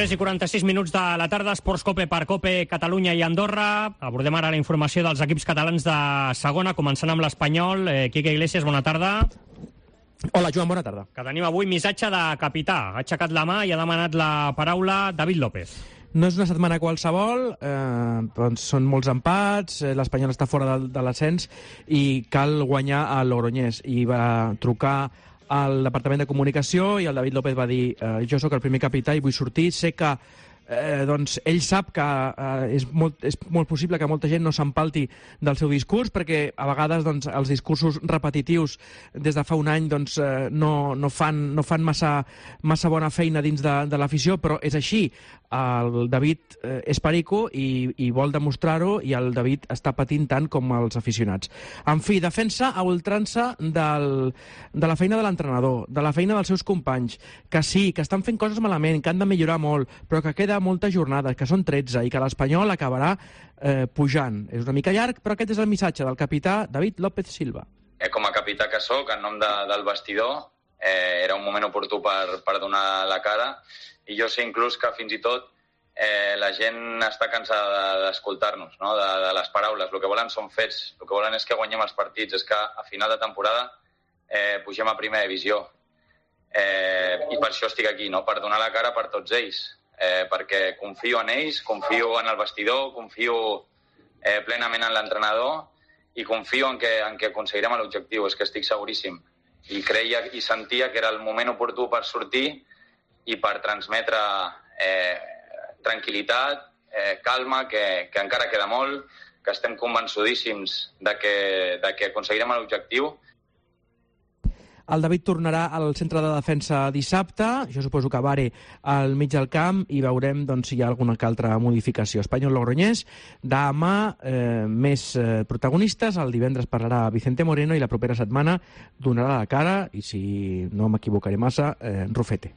3:46 de la tarda, Esports Cope per Cope, Catalunya i Andorra. Abordem ara la informació dels equips catalans de segona, començant amb l'Espanyol. Quique Iglesias, bona tarda. Hola, Joan, bona tarda. Que tenim avui missatge de capità. Ha aixecat la mà i ha demanat la paraula David López. No és una setmana qualsevol, doncs són molts empats, l'Espanyol està fora de l'ascens i cal guanyar a Logroñés. I va trucar al Departament de Comunicació i el David López va dir jo sóc el primer capità i vull sortir. Sé que doncs ell sap que és molt possible que molta gent no s'empalti del seu discurs, perquè a vegades doncs, els discursos repetitius des de fa un any doncs, no fan massa bona feina dins de l'afició, però és així. El David és perico i vol demostrar-ho, i el David està patint tant com els aficionats. En fi, defensa a ultrança de la feina de l'entrenador, de la feina dels seus companys, que sí, que estan fent coses malament, que han de millorar molt, però que queda moltes jornades, que són 13, i que l'Espanyol acabarà pujant. És una mica llarg, però aquest és el missatge del capità David López Silva. Com a capità que sóc, en nom del vestidor, era un moment oportú per donar la cara, i jo sé inclús que fins i tot la gent està cansada d'escoltar-nos, no? de les paraules. El que volen són fets, el que volen és que guanyem els partits, és que a final de temporada pugem a primera divisió. I per això estic aquí, no? Per donar la cara per tots ells, perquè confio en ells, confio en el vestidor, confio plenament en l'entrenador i confio en que aconseguirem l'objectiu, és que estic seguríssim. I creia i sentia que era el moment oportú per sortir i per transmetre tranquil·litat, calma, que encara queda molt, que estem convençudíssims de que aconseguirem l'objectiu. El David tornarà al centre de defensa dissabte, jo suposo que Bare al mig del camp, i veurem doncs, si hi ha alguna altra modificació. Espanyol-Logroñés, demà més protagonistes, el divendres parlarà Vicente Moreno i la propera setmana donarà la cara, i si no m'equivocaré massa, Rufete.